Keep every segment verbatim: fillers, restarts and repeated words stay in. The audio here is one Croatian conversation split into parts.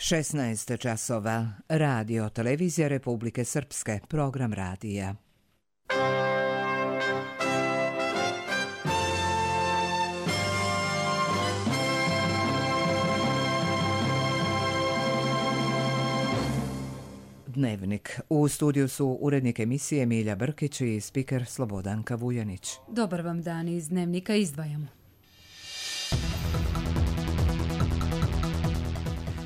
šesnaest časova. Radio Televizija Republike Srpske. Program radija. Dnevnik. U studiju su urednik emisije Milja Brkić i spiker Slobodanka Vujanić. Dobar vam dan, iz Dnevnika izdvajamo.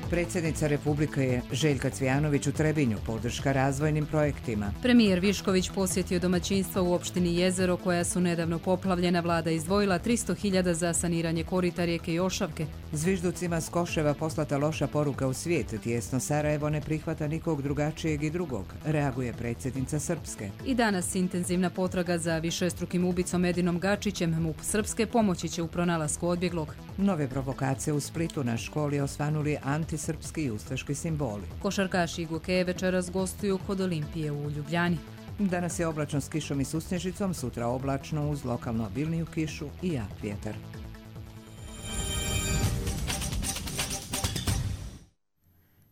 Predsjednica Republike Željka Cvijanović u Trebinju, podrška razvojnim projektima. Premijer Višković posjetio domaćinstva u opštini Jezero koja su nedavno poplavljena. Vlada izdvojila tristo hiljada za saniranje korita rijeke Jošavke. Zvižducima s Koševa poslata loša poruka u svijet. Tijesno Sarajevo ne prihvata nikog drugačijeg i drugog, reaguje predsjednica Srpske. I danas intenzivna potraga za višestrukim ubicom Edinom Gačićem. MUP Srpske pomoći će u pronalasku odbjeglog. Nove provokacije u Splitu, na školi osvanuli antisrpski i ustaški simboli. Košarkaši Igoke večeras gostuju kod Olimpije u Ljubljani. Danas je oblačno s kišom i susnježicom, sutra oblačno uz lokalno obilniju kišu i jak vjetar.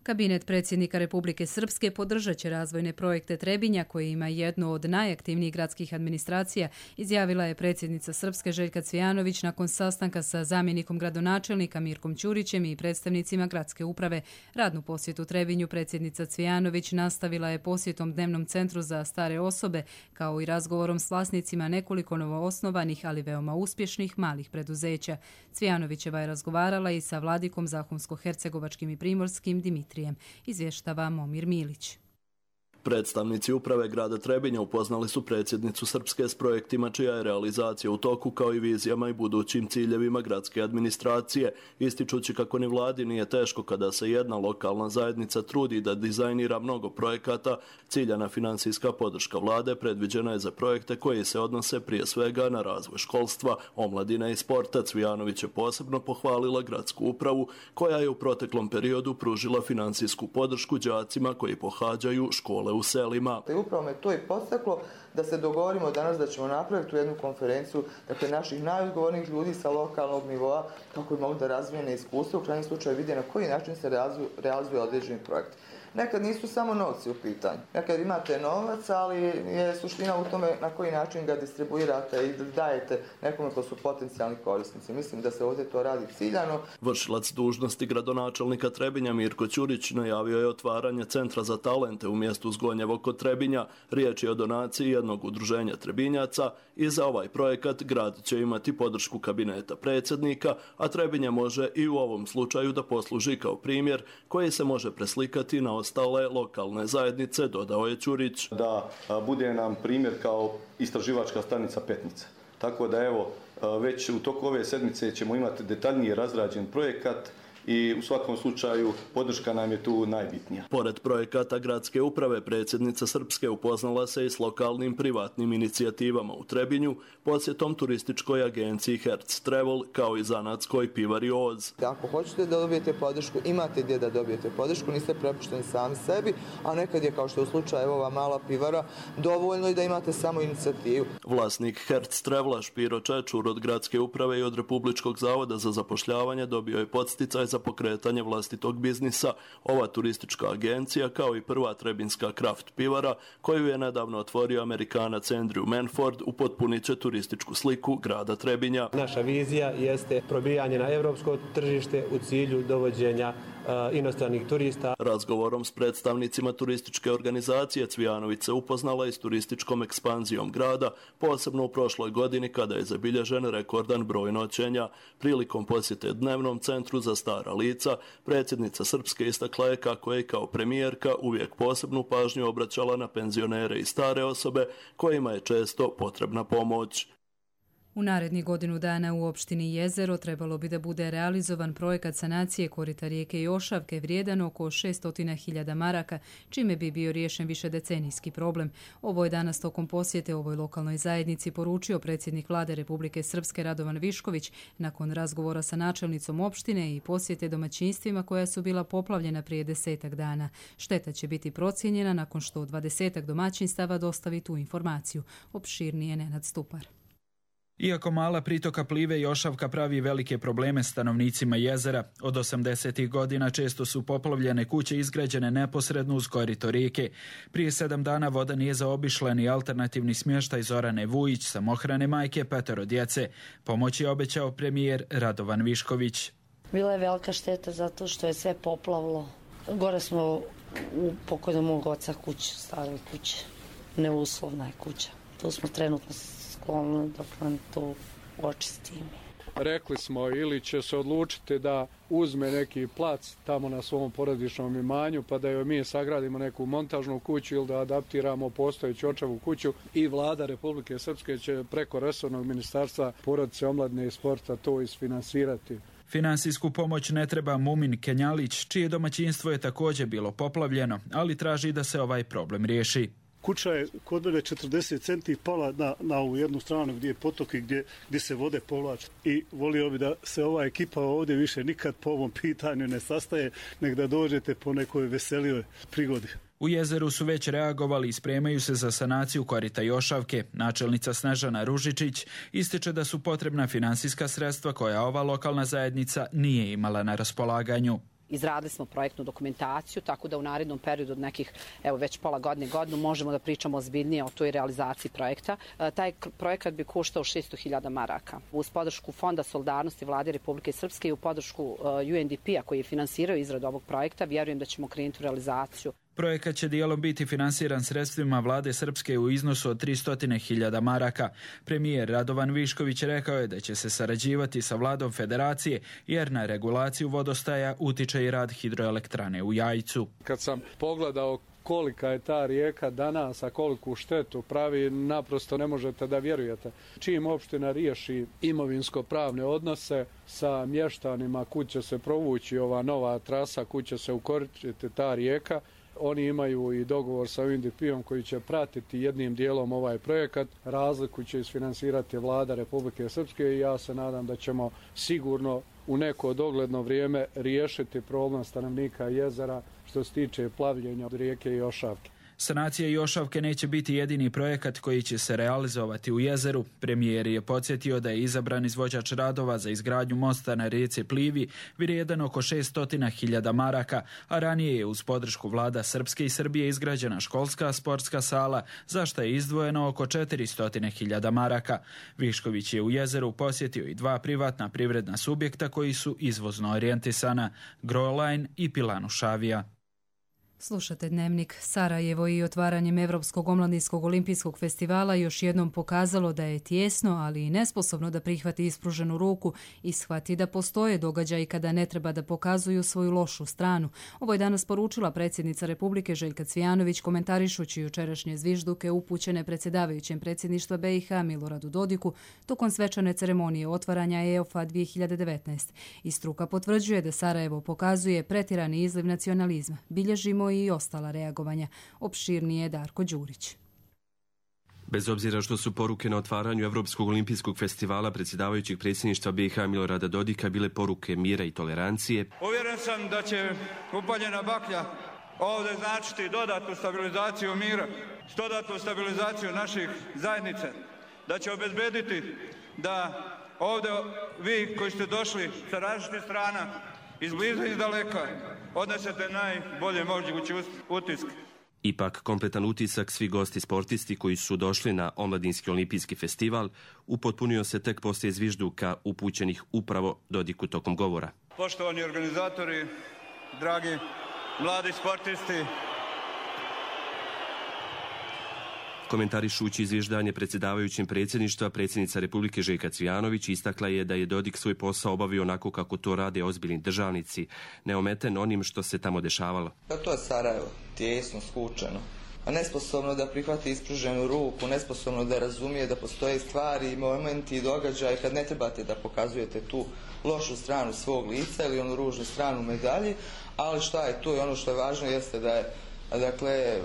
Kabinet predsjednika Republike Srpske podržat će razvojne projekte Trebinja, koji ima jednu od najaktivnijih gradskih administracija, izjavila je predsjednica Srpske Željka Cvijanović nakon sastanka sa zamjenikom gradonačelnika Mirkom Ćurićem i predstavnicima gradske uprave. Radnu posjetu Trebinju predsjednica Cvijanović nastavila je posjetom dnevnom centru za stare osobe, kao i razgovorom s vlasnicima nekoliko novoosnovanih, ali veoma uspješnih malih preduzeća. Cvijanovićeva je razgovarala i sa vladikom Zahumsko-hercegovačkim i primorskim Dimitrijem. Izvještava Momir Milić. Predstavnici uprave grada Trebinja upoznali su predsjednicu Srpske s projektima čija je realizacija u toku, kao i vizijama i budućim ciljevima gradske administracije, ističući kako ni vladi nije teško kada se jedna lokalna zajednica trudi da dizajnira mnogo projekata. Ciljana finansijska podrška vlade predviđena je za projekte koji se odnose prije svega na razvoj školstva, omladine i sporta. Cvijanović je posebno pohvalila gradsku upravu koja je u proteklom periodu pružila finansijsku podršku đacima koji pohađaju škole u selima. I upravo me to i podstaklo da se dogovorimo danas da ćemo napraviti tu jednu konferenciju, dakle naših najodgovornijih ljudi sa lokalnog nivoa, kako bi mogli da razvijene iskustva, u krajnjem slučaju vide na koji način se realizuje, realizuje određeni projekt. Nekad nisu samo novci u pitanju. Nekad imate novac, ali je suština u tome na koji način ga distribuirate i dajete nekome ko su potencijalni korisnici. Mislim da se ovdje to radi ciljano. Vršilac dužnosti gradonačelnika Trebinja Mirko Ćurić najavio je otvaranje centra za talente u mjestu Zgonjevo kod Trebinja. Riječ je o donaciji jednog udruženja Trebinjaca i za ovaj projekat grad će imati podršku kabineta predsjednika, a Trebinja može i u ovom slučaju da posluži kao primjer koji se može preslikati na ostale lokalne zajednice, dodao je Ćurić. Da bude nam primjer kao istraživačka stanica Petnica. Tako da evo, već u toku ove sedmice ćemo imati detaljnije razrađen projekat i u svakom slučaju podrška nam je tu najbitnija. Pored projekata gradske uprave, predsjednica Srpske upoznala se i s lokalnim privatnim inicijativama u Trebinju, posjetom turističkoj agenciji Hertz Travel, kao i zanatskoj pivari Oz. Ako hoćete da dobijete podršku, imate gdje da dobijete podršku, niste prepušteni sami sebi, a nekad je, kao što je u slučaju ova mala pivara, dovoljno i da imate samo inicijativu. Vlasnik Hertz Travela Špiro Čečur od gradske uprave i od Republičkog zavoda za zapošljavanje dobio je podsticaj za pokretanje vlastitog biznisa. Ova turistička agencija, kao i prva trebinska kraft pivara, koju je nedavno otvorio Amerikanac Andrew Manford, upotpunit će turističku sliku grada Trebinja. Naša vizija jeste probijanje na europsko tržište u cilju dovođenja uh, inostranih turista. Razgovorom s predstavnicima turističke organizacije Cvijanović se upoznala i s turističkom ekspanzijom grada, posebno u prošloj godini kada je zabilježen rekordan broj noćenja. Prilikom posjete dnevnom centru za stara lica, predsjednica Srpske istakla je kako je kao premijerka uvijek posebnu pažnju obraćala na penzionere i stare osobe kojima je često potrebna pomoć. U narednih godinu dana u opštini Jezero trebalo bi da bude realizovan projekat sanacije korita rijeke Jošavke vrijedan oko šesto hiljada maraka, čime bi bio riješen višedecenijski problem. Ovo je danas tokom posjete ovoj lokalnoj zajednici poručio predsjednik vlade Republike Srpske Radovan Višković nakon razgovora sa načelnicom opštine i posjete domaćinstvima koja su bila poplavljena prije desetak dana. Šteta će biti procijenjena nakon što dvadesetak domaćinstava dostavi tu informaciju. Opširnije Nenad Stupar. Iako mala pritoka Plive i Ošavka pravi velike probleme stanovnicima jezera, od osamdesetih godina često su poplavljene kuće izgrađene neposredno uz korito rijeke. Prije sedam dana voda nije zaobišla ni alternativni smještaj Zorane Vujić, samohrane majke petero djece. Pomoć je obećao premijer Radovan Višković. Bila je velika šteta zato što je sve poplavilo. Gore smo u pokojnog mog oca kuće, stare kuće. Neuslovna je kuća. Tu smo trenutno sklonili dok nam to očistimo. Rekli smo ili će se odlučiti da uzme neki plac tamo na svom porodičnom imanju pa da joj mi sagradimo neku montažnu kuću ili da adaptiramo postojeću očevu kuću i vlada Republike Srpske će preko resornog ministarstva porodice, omladine i sporta to isfinansirati. Finansijsku pomoć ne treba Mumin Kenjalić, čije domaćinstvo je također bilo poplavljeno, ali traži da se ovaj problem riješi. Kuća je kod mene četrdeset centi pala na, na ovu jednu stranu gdje je potok i gdje, gdje se vode povlače. I volio bi da se ova ekipa ovdje više nikad po ovom pitanju ne sastaje, nek da dođete po nekoj veselijoj prigodi. U jezeru su već reagovali i spremaju se za sanaciju korita i Ošavke. Načelnica Snežana Ružičić ističe da su potrebna finansijska sredstva koja ova lokalna zajednica nije imala na raspolaganju. Izradili smo projektnu dokumentaciju, tako da u narednom periodu od nekih, evo već pola godine, godinu, možemo da pričamo ozbiljnije o toj realizaciji projekta. E, taj projekat bi koštao šesto hiljada maraka. Uz podršku Fonda solidarnosti Vlade Republike Srpske i u podršku uh, U N D P-a koji je finansirao izradu ovog projekta, vjerujem da ćemo krenuti u realizaciju. Projekat će dijelom biti finansiran sredstvima Vlade Srpske u iznosu od tristo hiljada maraka. Premijer Radovan Višković rekao je da će se sarađivati sa Vladom Federacije jer na regulaciju vodostaja utiče i rad hidroelektrane u Jajcu. Kad sam pogledao kolika je ta rijeka danas, a koliku štetu pravi, naprosto ne možete da vjerujete. Čim opština riješi imovinsko-pravne odnose sa mještanima, kud će se provući ova nova trasa, kud će se ukoristiti ta rijeka, oni imaju i dogovor sa U N D P-om koji će pratiti jednim dijelom ovaj projekat. Razliku će isfinansirati Vlada Republike Srpske i ja se nadam da ćemo sigurno u neko dogledno vrijeme riješiti problem stanovnika jezera što se tiče plavljenja od rijeke i Ošavke. Sanacija Jošavke neće biti jedini projekat koji će se realizovati u jezeru. Premijer je podsjetio da je izabran izvođač radova za izgradnju mosta na rijeci Plivi vrijedan oko šesto hiljada maraka, a ranije je uz podršku vlada Srpske i Srbije izgrađena školska sportska sala, za što je izdvojeno oko četiristo hiljada maraka. Višković je u jezeru posjetio i dva privatna privredna subjekta koji su izvozno orijentisana, Groline i Pilanušavija. Slušate Dnevnik. Sarajevo i otvaranjem Evropskog omladinskog olimpijskog festivala još jednom pokazalo da je tijesno, ali i nesposobno da prihvati ispruženu ruku i shvati da postoje događaji kada ne treba da pokazuju svoju lošu stranu. Ovo je danas poručila predsjednica Republike Željka Cvijanović komentarišući jučerašnje zvižduke upućene predsjedavajućem predsjedništva B i H Miloradu Dodiku tokom svečane ceremonije otvaranja E O F A dvije hiljade devetnaest. I struka potvrđuje da Sarajevo pokazuje pretirani izliv nacionalizma. Bilježimo i ostala reagovanja. Opširnije Darko Đurić. Bez obzira što su poruke na otvaranju Evropskog olimpijskog festivala predsjedavajućeg predsjedništva B i H Milorada Dodika bile poruke mira i tolerancije. Uvjeren sam da će upaljena baklja ovdje značiti dodatnu stabilizaciju mira, dodatnu stabilizaciju naših zajednica, da će obezbediti da ovdje vi koji ste došli sa različitih strana, iz bliza i iz daleka, odnesete najbolje mogući utisak. Ipak, kompletan utisak svi gosti sportisti koji su došli na Omladinski olimpijski festival upotpunio se tek poslije zvižduka upućenih upravo Dodiku tokom govora. Poštovani organizatori, dragi mladi sportisti, komentarišući izvježdanje predsjedavajućem predsjedništva, predsjednica Republike Željka Cvijanović istakla je da je Dodik svoj posao obavio onako kako to rade ozbiljni državnici, neometen onim što se tamo dešavalo. Pa to je Sarajevo, tijesno, skučeno, a nesposobno da prihvati ispruženu ruku, nesposobno da razumije da postoje stvari, momenti i događaje kad ne trebate da pokazujete tu lošu stranu svog lica ili onu ružnu stranu medalji, ali šta je tu i ono što je važno jeste da je Dakle,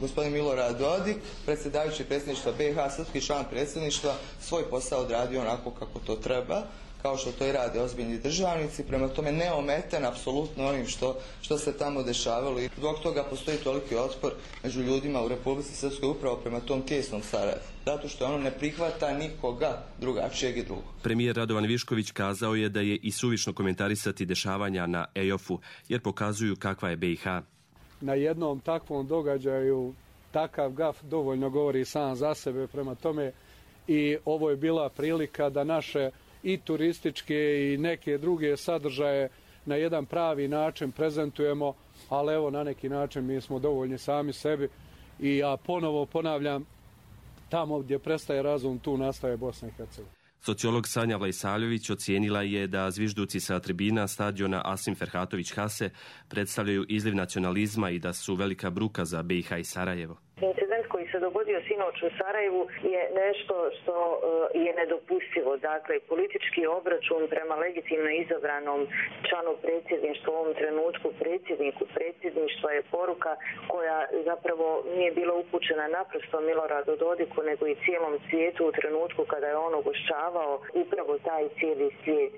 gospodin Milorad Dodik, predsjedavajući predsjedništva B i H, srpski član predsjedništva, svoj posao odradio onako kako to treba, kao što to i rade ozbiljni državnici, prema tome neometen apsolutno onim što, što se tamo dešavalo i zbog toga postoji toliki otpor među ljudima u Republici Srpskoj upravo prema tom kesnom Sarajevu. Zato što ono ne prihvata nikoga drugačijeg i drugog. Premijer Radovan Višković kazao je da je i suvišno komentarisati dešavanja na E O F-u jer pokazuju kakva je B i H. Na jednom takvom događaju takav gaf dovoljno govori sam za sebe, prema tome i ovo je bila prilika da naše i turističke i neke druge sadržaje na jedan pravi način prezentujemo, ali evo na neki način mi smo dovoljni sami sebi i ja ponovo ponavljam, tamo gdje prestaje razum, tu nastaje Bosna i Hercegovina. Sociolog Sanja Vlajsaljović ocijenila je da zvižduci sa tribina stadiona Asim Ferhatović Hase predstavljaju izliv nacionalizma i da su velika bruka za B i H i Sarajevo. Incident koji se dogodio sinoć u Sarajevu je nešto što je nedopustivo. Dakle, politički obračun prema legitimno izabranom članu predsjedništva, u ovom trenutku predsjedniku predsjedništva, je poruka koja zapravo nije bila upućena naprosto Miloradu Dodiku, nego i cijelom svijetu u trenutku kada je on ugošćavao upravo taj cijeli svijet.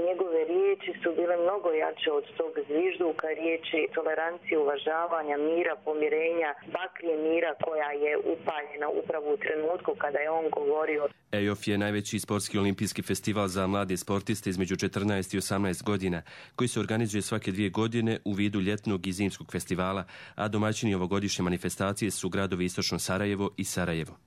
Njegove riječi su bile mnogo jače od tog zvižduka, riječi tolerancije, uvažavanja, mira, pomirenja, baklje mira koja je upaljena upravo u trenutku kada je on govorio. E O F je najveći sportski olimpijski festival za mlade sportiste između četrnaest i osamnaest godina, koji se organizuje svake dvije godine u vidu ljetnog i zimskog festivala, a domaćini ovogodišnje manifestacije su gradovi Istočno Sarajevo i Sarajevo.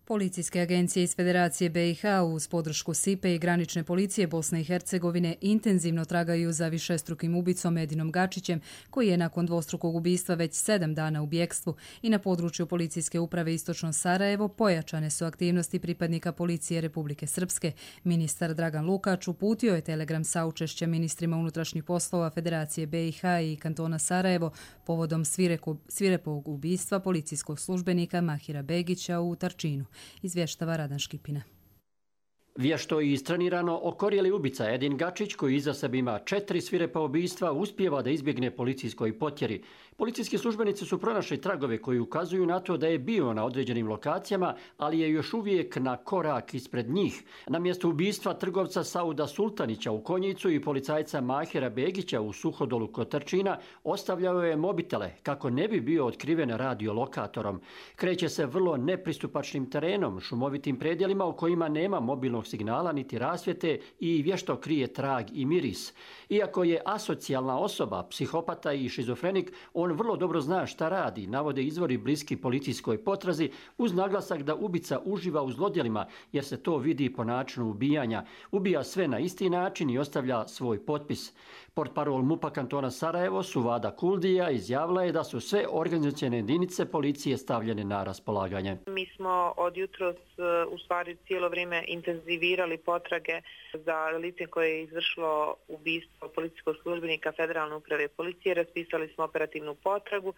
Policijske agencije iz Federacije B i H uz podršku S I P-e i granične policije Bosne i Hercegovine intenzivno tragaju za višestrukim ubicom Edinom Gačićem, koji je nakon dvostrukog ubistva već sedam dana u bjekstvu, i na području Policijske uprave Istočno Sarajevo pojačane su aktivnosti pripadnika Policije Republike Srpske. Ministar Dragan Lukač uputio je telegram saučešća ministrima unutrašnjih poslova Federacije B i H i kantona Sarajevo povodom svirepog ubistva policijskog službenika Mahira Begića u Tarčinu. Izvještava Radan Škipina. Vješto i istrenirano okorjeli ubica Edin Gačić, koji iza sebe ima četiri svirepa ubistva, uspijeva da izbjegne policijskoj potjeri. Policijski službenici su pronašli tragove koji ukazuju na to da je bio na određenim lokacijama, ali je još uvijek na korak ispred njih. Na mjestu ubistva trgovca Sauda Sultanića u Konjicu i policajca Mahira Begića u Suhodolu kod Trčina ostavljao je mobitele kako ne bi bio otkriven radiolokatorom. Kreće se vrlo nepristupačnim terenom, šumovitim predjelima u kojima nema mobilnog signala niti rasvjete i vješto krije trag i miris. Iako je asocijalna osoba, psihopata i šizofrenik, on vrlo dobro zna šta radi, navode izvori bliski policijskoj potrazi, uz naglasak da ubica uživa u zlodjelima jer se to vidi po načinu ubijanja. Ubija sve na isti način i ostavlja svoj potpis. Portparol MUP-a kantona Sarajevo, Suvada Kuldija, izjavila je da su sve organizacione jedinice policije stavljene na raspolaganje. Mi smo od jutros u stvari cijelo vrijeme intenzivirali potrage za lice koje je izvršilo ubistvo policijskog službenika Federalne uprave policije. Raspisali smo operativnu potragu.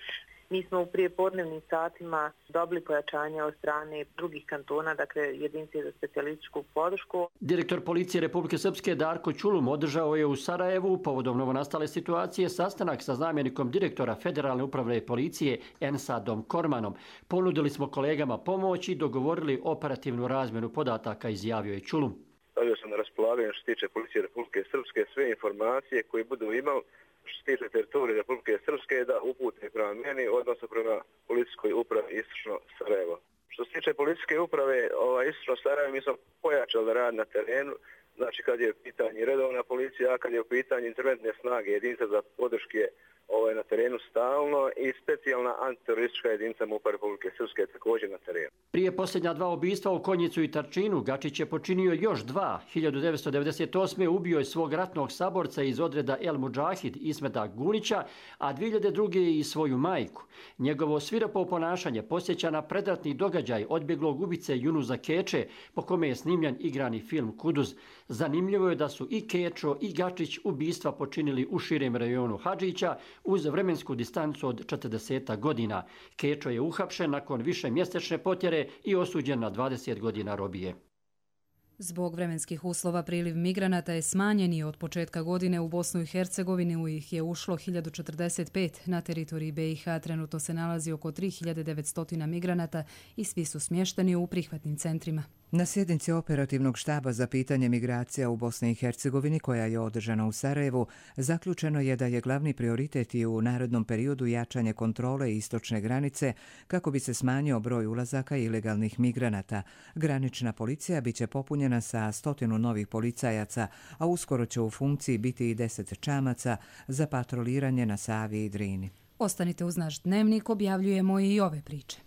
Mi smo u prijepodnevnim satima dobili pojačanje od strane drugih kantona, dakle jedinice za specijalističku podršku. Direktor policije Republike Srpske Darko Čulum održao je u Sarajevu povodom novonastale situacije sastanak sa zamjenikom direktora Federalne uprave policije Ensadom Kormanom. Ponudili smo kolegama pomoć i dogovorili operativnu razmjenu podataka, izjavio je Čulum. Stavio sam na raspolaganje što se tiče policije Republike Srpske sve informacije koje budu imali što se tiče teritorije Republike Srpske da upute prema meni, odnosno prema policijskoj upravi Istočno Sarajevo. Što se tiče policijske uprave ovaj, Istočno Sarajevo, mi smo pojačali rad na terenu, znači kad je u pitanju redovna policija, a kad je u pitanju interventne snage, jedinica za podrške ovaj, na terenu stalno i specijalna antiteroristička jedinica MUP-a Republike Srpske također na terenu. Prije posljednja dva ubistva u Konjicu i Tarčinu, Gačić je počinio još dva. hiljadu devetsto devedeset osme. ubio je svog ratnog saborca iz odreda El Mudžahid Ismeta Gunića, a dvije hiljade druge. i svoju majku. Njegovo svirepo ponašanje posjeća na predratni događaj odbjeglog ubice Junuza Keče, po kome je snimljen igrani film Kuduz. Zanimljivo je da su i Kečo i Gačić ubistva počinili u širem rajonu Hadžića uz vremensku distancu od četrdeset godina. Kečo je uhapšen nakon više mjesečne potjere i osuđen na dvadeset godina robije. Zbog vremenskih uslova priliv migranata je smanjen i od početka godine u Bosnu i Hercegovini ih je ušlo hiljadu četrdeset pet. Na teritoriji B i H trenutno se nalazi oko tri hiljade devetsto migranata i svi su smješteni u prihvatnim centrima. Na sjednici operativnog štaba za pitanje migracija u Bosni i Hercegovini, koja je održana u Sarajevu, zaključeno je da je glavni prioritet i u narednom periodu jačanje kontrole istočne granice kako bi se smanjio broj ulazaka ilegalnih migranata. Granična policija biće popunjena sa stotinu novih policajaca, a uskoro će u funkciji biti i deset čamaca za patroliranje na Savi i Drini. Ostanite uz naš dnevnik, objavljujemo i ove priče.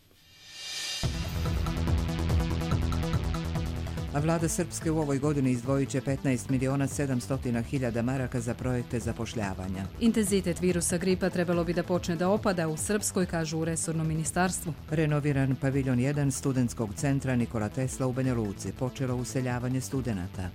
A vlada Srpske u ovoj godini izdvojit će petnaest miliona sedamsto hiljada maraka za projekte zapošljavanja. Intenzitet virusa gripa trebalo bi da počne da opada u Srpskoj, kažu u resornom ministarstvu. Renoviran paviljon jedan studentskog centra Nikola Tesla u Banja Luci, počelo useljavanje studenata.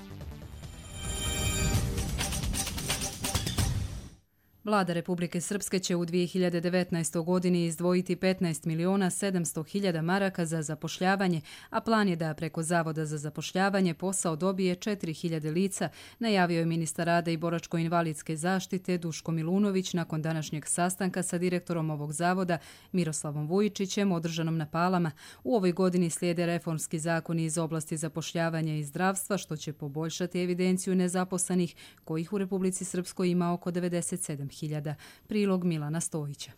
Vlada Republike Srpske će u dvije hiljade devetnaestoj. godini izdvojiti petnaest miliona sedamsto hiljada maraka za zapošljavanje, a plan je da preko Zavoda za zapošljavanje posao dobije četiri hiljade lica, najavio je ministar rada i boračko-invalidske zaštite Duško Milunović nakon današnjeg sastanka sa direktorom ovog zavoda Miroslavom Vujičićem održanom na Palama. U ovoj godini slijede reformski zakoni iz oblasti zapošljavanja i zdravstva, što će poboljšati evidenciju nezaposlenih, kojih u Republici Srpskoj ima oko devedeset sedam hiljada. Prilog Milana Stojića.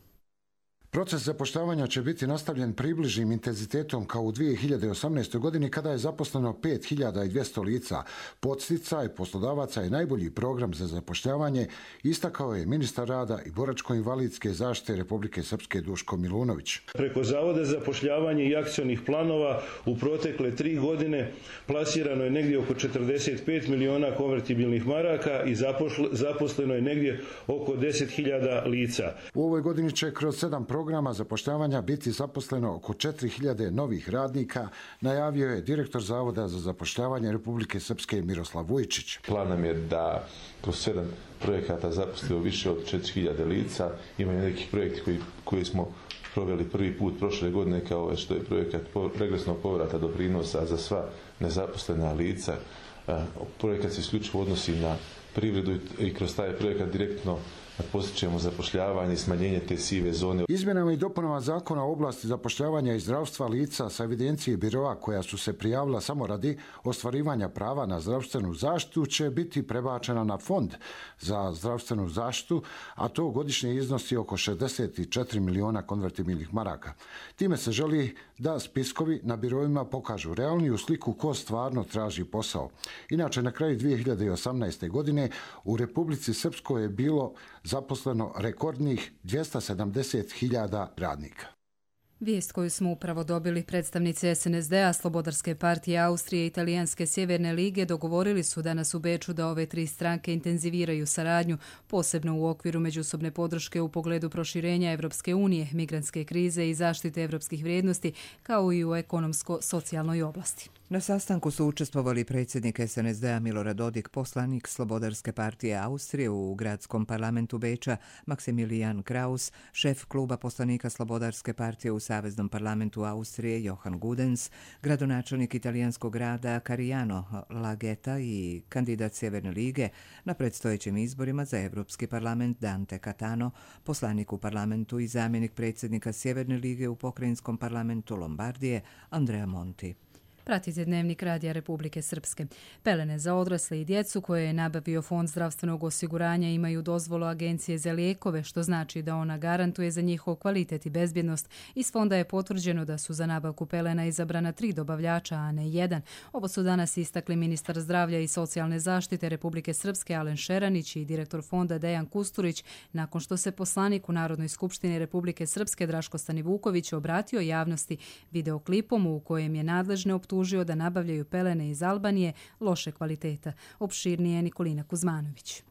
Proces zapošljavanja će biti nastavljen približnim intenzitetom kao u dvije hiljade osamnaestoj. godini kada je zaposleno pet hiljada dvjesto lica. Podsticaj poslodavaca je najbolji program za zapošljavanje, istakao je ministar rada i boračko-invalidske zaštite Republike Srpske Duško Milunović. Preko Zavoda za zapošljavanje i akcionih planova u protekle tri godine plasirano je negdje oko četrdeset pet miliona konvertibilnih maraka i zaposleno je negdje oko deset hiljada lica. U ovoj godini će kroz sedam programa programa zapošljavanja biti zaposleno oko četiri hiljade novih radnika, najavio je direktor Zavoda za zapošljavanje Republike Srpske Miroslav Vujičić. Plan nam je da kroz sedam projekata zaposlimo više od četiri hiljade lica. Imaju neki projekti koji, koji smo proveli prvi put prošle godine, kao što je projekat regresnog povrata doprinosa za sva nezaposlena lica. Projekat se isključivo odnosi na privredu i kroz taj projekat direktno postičemo zapošljavanje i smanjenje te sive zone. Izmjenama i dopunama zakona o oblasti zapošljavanja i zdravstva lica sa evidencije biroa koja su se prijavila samo radi ostvarivanja prava na zdravstvenu zaštitu će biti prebačena na fond za zdravstvenu zaštitu, a to godišnje iznosi oko šezdeset četiri miliona konvertibilnih maraka. Time se želi da spiskovi na biroima pokažu realniju sliku ko stvarno traži posao. Inače, na kraju dvije hiljade osamnaeste. godine u Republici Srpskoj je bilo zaposleno rekordnih dvjesto sedamdeset hiljada radnika. Vijest koju smo upravo dobili, predstavnici es en es de-a, Slobodarske partije Austrije i Italijanske Sjeverne lige dogovorili su danas u Beču da ove tri stranke intenziviraju saradnju, posebno u okviru međusobne podrške u pogledu proširenja Evropske unije, migrantske krize i zaštite evropskih vrijednosti, kao i u ekonomsko-socijalnoj oblasti. Na sastanku su učestvovali predsjednik es en es de-a Milorad Dodik, poslanik Slobodarske partije Austrije u gradskom parlamentu Beča Maksimilijan Kraus, šef kluba poslanika Slobodarske partije u Saveznom parlamentu Austrije Johan Gudens, gradonačelnik italijanskog grada Cariano Lageta i kandidat Sjeverne lige na predstojećim izborima za Evropski parlament Dante Catano, poslanik u parlamentu i zamjenik predsjednika Sjeverne lige u pokrajinskom parlamentu Lombardije Andrea Monti. Pratite dnevnik Radija Republike Srpske. Pelene za odrasle i djecu koje je nabavio Fond zdravstvenog osiguranja imaju dozvolu Agencije za lijekove, što znači da ona garantuje za njihov kvalitet i bezbjednost. Iz fonda je potvrđeno da su za nabavku pelena izabrana tri dobavljača, a ne jedan. Ovo su danas istakli ministar zdravlja i socijalne zaštite Republike Srpske Alen Šeranić i direktor fonda Dejan Kusturić, nakon što se poslanik u Narodnoj skupštini Republike Srpske Draško Stanivuković obratio javnosti videoklipom u kojem je nadležne optužio da nabavljaju pelene iz Albanije loše kvaliteta. Opširnije Nikolina Kuzmanović.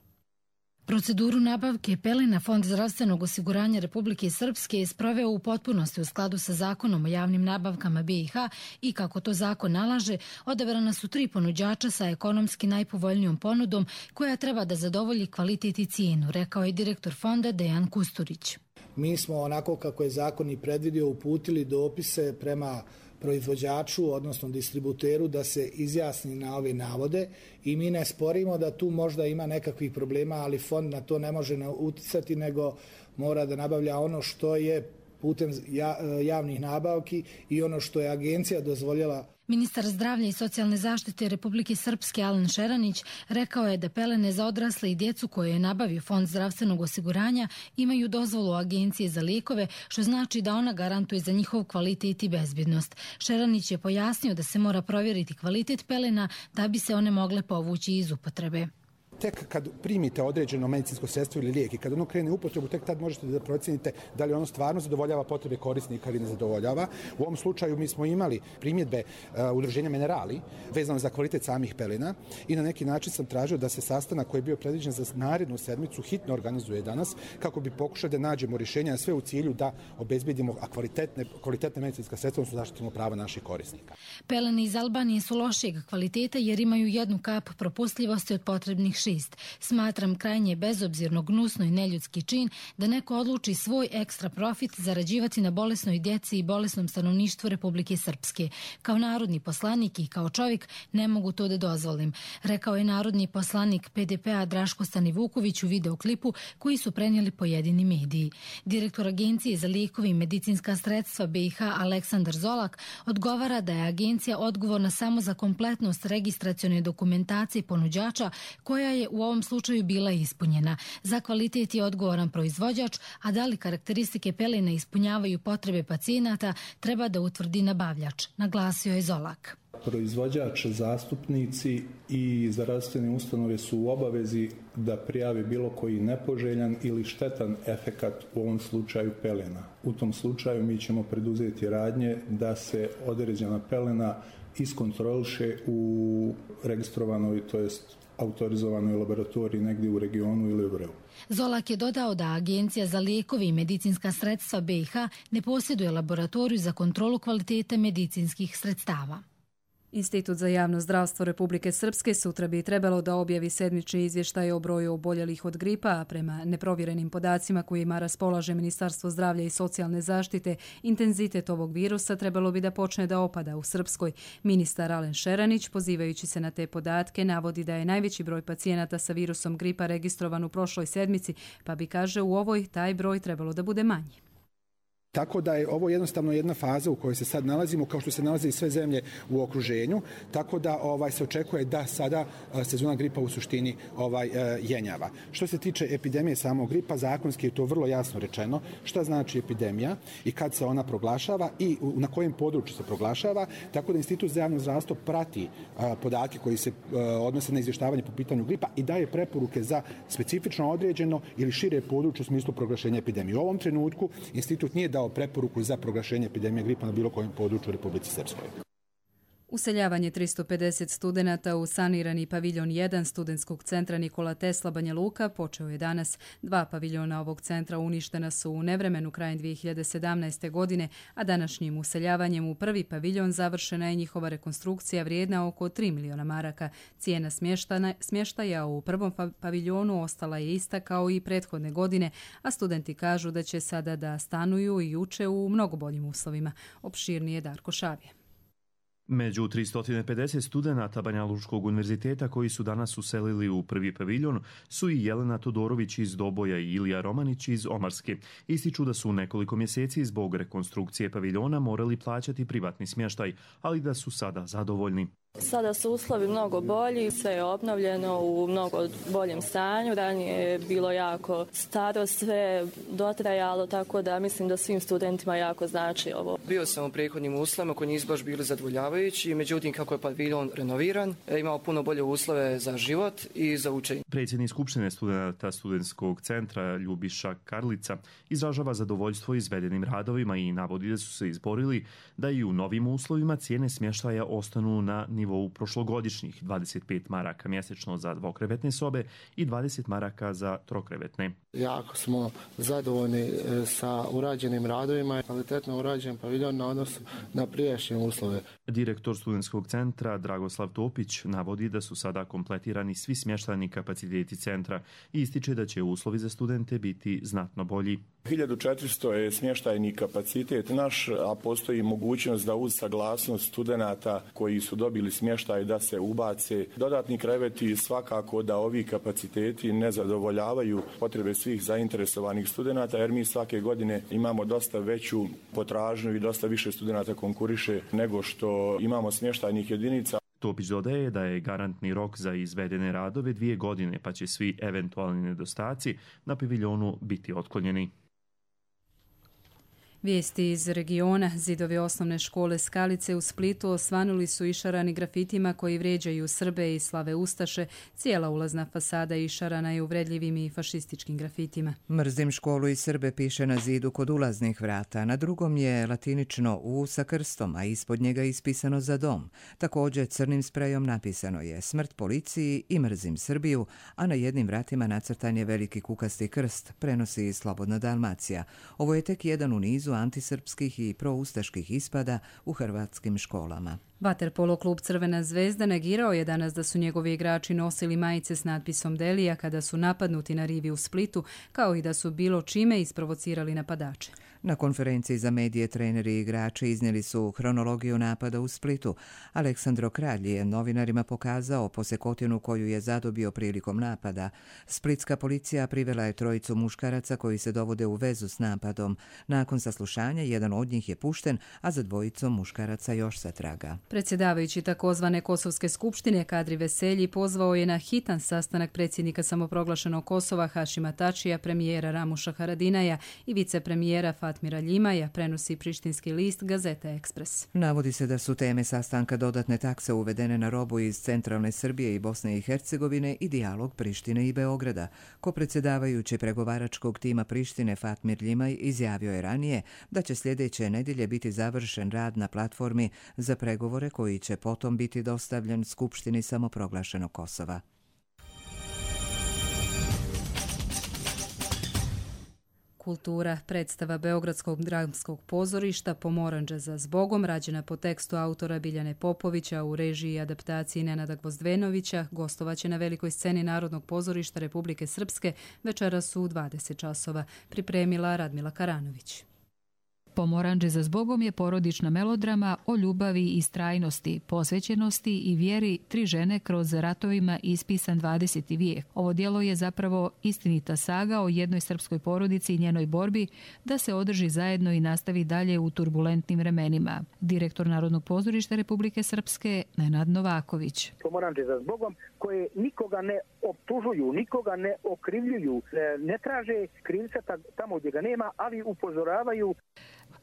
Proceduru nabavke pelena Fond zdravstvenog osiguranja Republike Srpske je sproveo u potpunosti u skladu sa zakonom o javnim nabavkama be i ha i kako to zakon nalaže, odabrana su tri ponuđača sa ekonomski najpovoljnijom ponudom koja treba da zadovolji kvalitet i cijenu, rekao je direktor fonda Dejan Kusturić. Mi smo onako kako je zakon i predvidio uputili dopise prema proizvođaču, odnosno distributeru, da se izjasni na ove navode i mi ne sporimo da tu možda ima nekakvih problema, ali fond na to ne može uticati, nego mora da nabavlja ono što je putem javnih nabavki i ono što je agencija dozvoljela. Ministar zdravlja i socijalne zaštite Republike Srpske Alen Šeranić rekao je da pelene za odrasle i djecu koje je nabavio Fond zdravstvenog osiguranja imaju dozvolu Agencije za lijekove, što znači da ona garantuje za njihov kvalitet i bezbjednost. Šeranić je pojasnio da se mora provjeriti kvalitet pelena da bi se one mogle povući iz upotrebe. Tek kad primite određeno medicinsko sredstvo ili lijek i kad ono krene u upotrebu, tek tad možete da procijenite da li ono stvarno zadovoljava potrebe korisnika ili ne zadovoljava. U ovom slučaju mi smo imali primjedbe uh, udruženja Minerali vezano za kvalitet samih pelena i na neki način sam tražio da se sastanak koji je bio predviđen za narednu sedmicu hitno organizuje danas kako bi pokušali da nađemo rješenja, sve u cilju da obezbedimo kvalitetne, kvalitetne medicinska sredstva, odnosno zaštitimo prava naših korisnika. Pelene iz Albanije su lošijeg kvaliteta jer imaju jednu kap propustljivosti od potrebnih šest. Smatram krajnje bezobzirno, gnusno i neljudski čin da neko odluči svoj ekstra profit zarađivati na bolesnoj djeci i bolesnom stanovništvu Republike Srpske. Kao narodni poslanik i kao čovjek ne mogu to da dozvolim, rekao je narodni poslanik P D P-a Draško Stanivuković u videoklipu koji su prenijeli pojedini mediji. Direktor Agencije za lijekove i medicinska sredstva B i H Aleksandar Zolak odgovara da je agencija odgovorna samo za kompletnost registracione dokumentacije ponuđača koja je u ovom slučaju bila ispunjena. Za kvalitet je odgovoran proizvođač, a da li karakteristike pelena ispunjavaju potrebe pacijenata treba da utvrdi nabavljač, naglasio je Zolak. Proizvođač, zastupnici i zdravstvene ustanove su u obavezi da prijavi bilo koji nepoželjan ili štetan efekat, u ovom slučaju pelena. U tom slučaju mi ćemo preduzeti radnje da se određena pelena iskontroliše u registrovanoj, to jest autorizovanoj laboratoriji negdje u regionu ili u Vreu. Zolak je dodao da Agencija za lijekove i medicinska sredstva B i H ne posjeduje laboratoriju za kontrolu kvalitete medicinskih sredstava. Institut za javno zdravstvo Republike Srpske sutra bi trebalo da objavi sedmični izvještaj o broju oboljelih od gripa, a prema neprovjerenim podacima kojima raspolaže Ministarstvo zdravlja i socijalne zaštite, intenzitet ovog virusa trebalo bi da počne da opada u Srpskoj. Ministar Alen Šeranić, pozivajući se na te podatke, navodi da je najveći broj pacijenata sa virusom gripa registrovan u prošloj sedmici, pa bi, kaže, u ovoj taj broj trebalo da bude manji. Tako da je ovo jednostavno jedna faza u kojoj se sad nalazimo, kao što se nalaze i sve zemlje u okruženju, tako da ovaj se očekuje da sada sezona gripa u suštini ovaj jenjava. Što se tiče epidemije samog gripa, zakonski je to vrlo jasno rečeno šta znači epidemija i kad se ona proglašava i na kojem području se proglašava, tako da Institut za javno zdravstvo prati podatke koji se odnose na izvještavanje po pitanju gripa i daje preporuke za specifično određeno ili šire područje u smislu proglašenja epidemije. U ovom trenutku institut nije dao preporuku za proglašenje epidemije gripa na bilo kojem području u Republici Srpskoj. Useljavanje tristo pedeset studenata u sanirani paviljon jedan studentskog centra Nikola Tesla Banja Luka počeo je danas. Dva paviljona ovog centra uništena su u nevremenu krajem dvije hiljade sedamnaeste. godine, a današnjim useljavanjem u prvi paviljon završena je njihova rekonstrukcija vrijedna oko tri miliona maraka. Cijena smještaja u prvom paviljonu ostala je ista kao i prethodne godine, a studenti kažu da će sada da stanuju i uče u mnogo boljim uslovima. Opširnije Darko Šavije. Među tristo pedeset studenata Banja Lučkog univerziteta koji su danas uselili u prvi paviljon su i Jelena Todorović iz Doboja i Ilija Romanić iz Omarske. Ističu da su u nekoliko mjeseci zbog rekonstrukcije paviljona morali plaćati privatni smještaj, ali da su sada zadovoljni. Sada su uslovi mnogo bolji, sve je obnovljeno u mnogo boljem stanju. Ranije je bilo jako staro, sve dotrajalo, tako da mislim da svim studentima jako znači ovo. Bio sam u prethodnim uslovima koji nisu baš bili zadovoljavajući, međutim kako je paviljon renoviran, imao puno bolje uslove za život i za učenje. Predsjednik Skupštine studenata studentskog centra Ljubiša Karlica izražava zadovoljstvo izvedenim radovima i navodi da su se izborili da i u novim uslovima cijene smještaja ostanu na nivou prošlogodišnjih dvadeset pet maraka mjesečno za dvokrevetne sobe i dvadeset maraka za trokrevetne. Jako smo zadovoljni sa urađenim radovima, kvalitetno urađen paviljon na odnosu na prijašnje uslove. Direktor studentskog centra Dragoslav Topić navodi da su sada kompletirani svi smještajni kapaciteti centra i ističe da će uslovi za studente biti znatno bolji. hiljadu četiristo je smještajni kapacitet naš, a postoji mogućnost da uz saglasnost studenata koji su dobili dobili smještaj da se ubace dodatni kreveti, svakako da ovi kapaciteti ne zadovoljavaju potrebe svih zainteresovanih studenata, jer mi svake godine imamo dosta veću potražnju i dosta više studenata konkuriše nego što imamo smještajnih jedinica. Topić dodaje da je garantni rok za izvedene radove dvije godine, pa će svi eventualni nedostaci na paviljonu biti otklonjeni. Vijesti iz regiona. Zidovi osnovne škole Skalice u Splitu osvanuli su išarani grafitima koji vrijeđaju Srbe i slave ustaše. Cijela ulazna fasada išarana je uvredljivim i fašističkim grafitima. Mrzim školu i Srbe piše na zidu kod ulaznih vrata. Na drugom je latinično U sa krstom, a ispod njega ispisano za dom. Također crnim sprejom napisano je smrt policiji i mrzim Srbiju, a na jednim vratima nacrtan je veliki kukasti krst, prenosi Slobodna Dalmacija. Ovo je tek jedan u nizu antisrpskih i proustaških ispada u hrvatskim školama. Vaterpolo klub Crvena zvezda negirao je danas da su njegovi igrači nosili majice s natpisom Delija kada su napadnuti na rivi u Splitu, kao i da su bilo čime isprovocirali napadače. Na konferenciji za medije treneri i igrači iznijeli su hronologiju napada u Splitu. Aleksandro Kralj je novinarima pokazao posekotinu koju je zadobio prilikom napada. Splitska policija privela je trojicu muškaraca koji se dovode u vezu s napadom. Nakon saslušanja jedan od njih je pušten, a za dvojicom muškaraca još se traga. Predsjedavajući takozvane Kosovske skupštine Kadri Veselji pozvao je na hitan sastanak predsjednika samoproglašenog Kosova Hašima Tačija, premijera Ramuša Haradinaja i vicepremijera Fatmira Ljimaja, prenosi prištinski list Gazeta Ekspres. Navodi se da su teme sastanka dodatne takse uvedene na robu iz centralne Srbije i Bosne i Hercegovine i dijalog Prištine i Beograda. Ko predsjedavajući pregovaračkog tima Prištine Fatmir Ljimaj izjavio je ranije da će sljedeće nedjelje biti završen rad na platformi za pregovore koji će potom biti dostavljen Skupštini samoproglašenog Kosova. Kultura. Predstava Beogradskog dramskog pozorišta Pomoranđe za zbogom, rađena po tekstu autora Biljane Popovića u režiji i adaptaciji Nenada Gvozdvenovića, gostovaće na velikoj sceni Narodnog pozorišta Republike Srpske večeras u dvadeset časova, pripremila Radmila Karanović. Pomoranđe za zbogom je porodična melodrama o ljubavi i strajnosti, posvećenosti i vjeri tri žene kroz ratovima ispisan dvadeseti vijek. Ovo djelo je zapravo istinita saga o jednoj srpskoj porodici i njenoj borbi da se održi zajedno i nastavi dalje u turbulentnim vremenima. Direktor Narodnog pozorišta Republike Srpske Nenad Novaković. Pomoranđe za zbogom koje nikoga ne optužuju, nikoga ne okrivljuju, ne traže krivca tamo gdje ga nema, ali upozoravaju.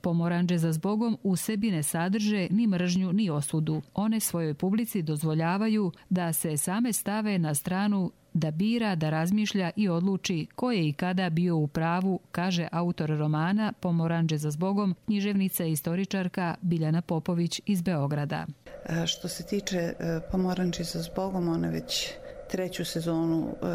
Pomoranđe za zbogom u sebi ne sadrže ni mržnju ni osudu. One svojoj publici dozvoljavaju da se same stave na stranu, da bira, da razmišlja i odluči ko je i kada bio u pravu, kaže autor romana Pomoranđe za zbogom, književnica i istoričarka Biljana Popović iz Beograda. Što se tiče Pomoranđe za zbogom, one već treću sezonu e,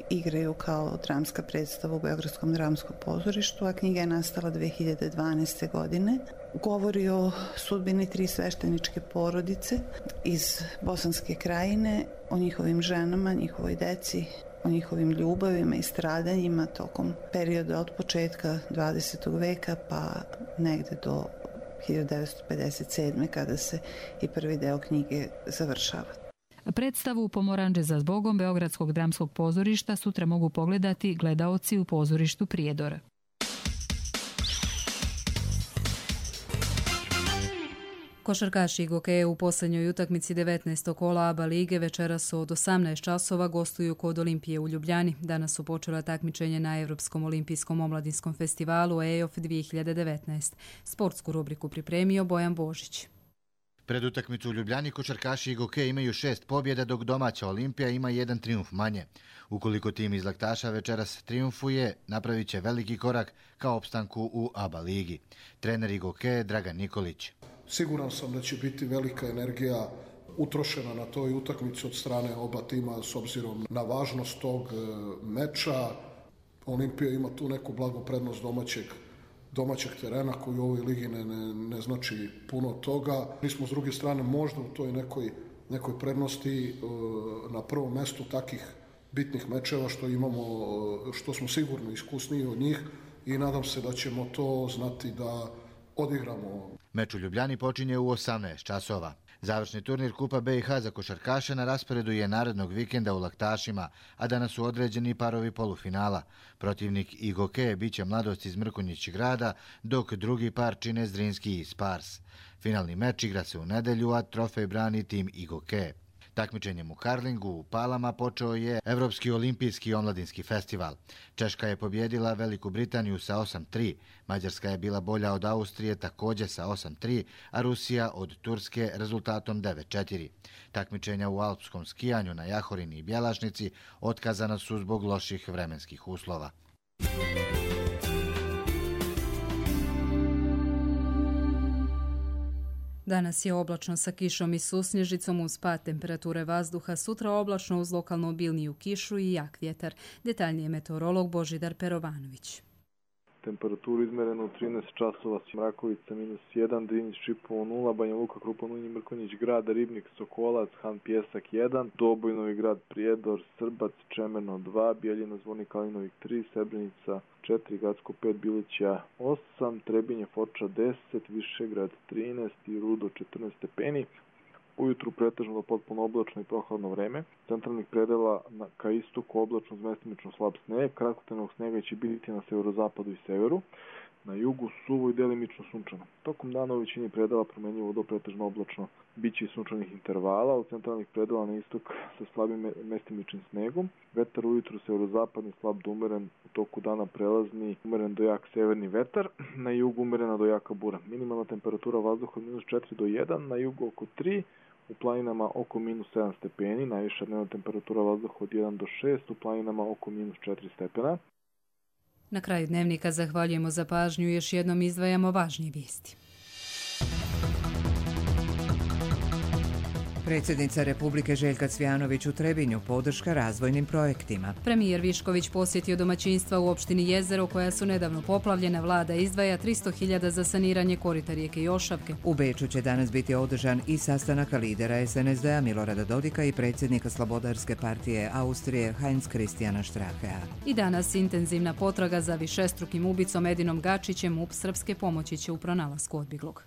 igraju kao dramska predstava u Beogradskom dramskom pozorištu, a knjiga je nastala dve hiljade dvanaeste. godine. Govori o sudbini tri svešteničke porodice iz Bosanske krajine, o njihovim ženama, njihovoj deci, o njihovim ljubavima i stradanjima tokom perioda od početka dvadesetog veka pa negde do hiljadu devetsto pedeset sedme. kada se i prvi deo knjige završava. Predstavu Pomoranđe za zbogom Beogradskog dramskog pozorišta sutra mogu pogledati gledaoci u pozorištu Prijedor. Košarkaši Gokeje u posljednjoj utakmici devetnaestog kola A B A lige večeras od osamnaest časova gostuju kod Olimpije u Ljubljani. Danas su počela takmičenje na Europskom olimpijskom omladinskom festivalu E O F dvije hiljade devetnaest. Sportsku rubriku pripremio Bojan Božić. Pred utakmicu u Ljubljani košarkaši i Gokeje imaju šest pobjeda, dok domaća Olimpija ima jedan trijumf manje. Ukoliko tim iz Laktaša večeras trijumfuje, napravit će veliki korak ka opstanku u A B A ligi. Trener Gokeje Dragan Nikolić. Siguran sam da će biti velika energija utrošena na toj utakmici od strane oba tima s obzirom na važnost tog meča. Olimpija ima tu neku blagu prednost domaćeg domaćeg terena koji u ovoj ligi ne, ne, ne znači puno toga. Mi smo s druge strane možda u toj nekoj, nekoj prednosti na prvom mjestu takih bitnih mečeva što imamo, što smo sigurno iskusniji od njih i nadam se da ćemo to znati da odigramo. Meč u Ljubljani počinje u osamnaest časova. Završni turnir Kupa B i H za košarkaše na rasporedu je narednog vikenda u Laktašima, a danas su određeni parovi polufinala. Protivnik I G O K biće Mladost iz Mrkonjić Grada, dok drugi par čine Zrinski i Spars. Finalni meč igra se u nedelju, a trofej brani tim I G O K. Takmičenjem u karlingu u Palama počeo je Evropski olimpijski omladinski festival. Češka je pobjedila Veliku Britaniju sa osam tri, Mađarska je bila bolja od Austrije također sa osam tri, a Rusija od Turske rezultatom devet četiri. Takmičenja u alpskom skijanju na Jahorini i Bjelašnici otkazana su zbog loših vremenskih uslova. Danas je oblačno sa kišom i susnježicom uz pad temperature vazduha, sutra oblačno uz lokalno obilniju kišu i jak vjetar. Detaljnije meteorolog Božidar Perovanović. Temperaturu izmerenu u trinaest časova, Mrakovica minus jedan, Drinić Čipovo nula, Banja Luka, Krupan Unji, Mrkonjić Grad, Ribnik, Sokolac, Han Pjesak jedan, Doboj, Novi Grad, Prijedor, Srbac, Čemerno dva, Bijeljina, Zvornik, Kalinovik tri, Srebrenica četiri, Gacko pet, Bilića osam, Trebinje, Foča deset, Višegrad trinaest i Rudo četrnaest stepeni. Ujutru pretežno do potpuno oblačno i prohladno vreme. Centralnih predela na, ka istoku oblačno uz mestimično slab sneg. Kratkotrajnog snega će biti na severozapadu i severu. Na jugu suvo i delimično sunčano. Tokom dana u većini predela promenljivo do pretežno oblačno. Biće i sunčanih intervala. U centralnih predela na istok sa slabim mestimičnim snegom. Vetar ujutru severozapadni slab do umeren. U toku dana prelazni umeren do jak severni vetar. Na jugu umerena do jaka bura. Minimalna temperatura vazduha od minus četiri do jedan. Na jugu oko tri. U planinama oko minus sedam stepeni, najviša dnevna temperatura vazduha od jedan do šest, u planinama oko minus četiri stepena. Na kraju dnevnika zahvaljujemo za pažnju i još jednom izdvajamo važnije vijesti. Predsjednica Republike Željka Cvijanović u Trebinju podrška razvojnim projektima. Premijer Višković posjetio domaćinstva u opštini Jezero koja su nedavno poplavljena. Vlada izdvaja tristo hiljada za saniranje korita rijeke Jošavke. U Beču će danas biti održan i sastanak lidera es en es de-a Milorada Dodika i predsjednika Slobodarske partije Austrije Heinz Christiana Strachea. I danas intenzivna potraga za višestrukim ubicom Edinom Gačićem. M U P Srpske pomoći će u pronalasku odbjeglog.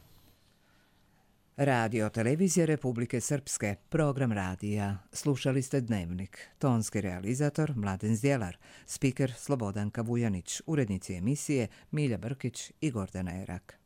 Radio televizije Republike Srpske, program radija. Slušali ste Dnevnik. Tonski realizator Mladen Zdjelar, spiker Slobodanka Vujanić, urednici emisije Milja Brkić i Gordana Erak.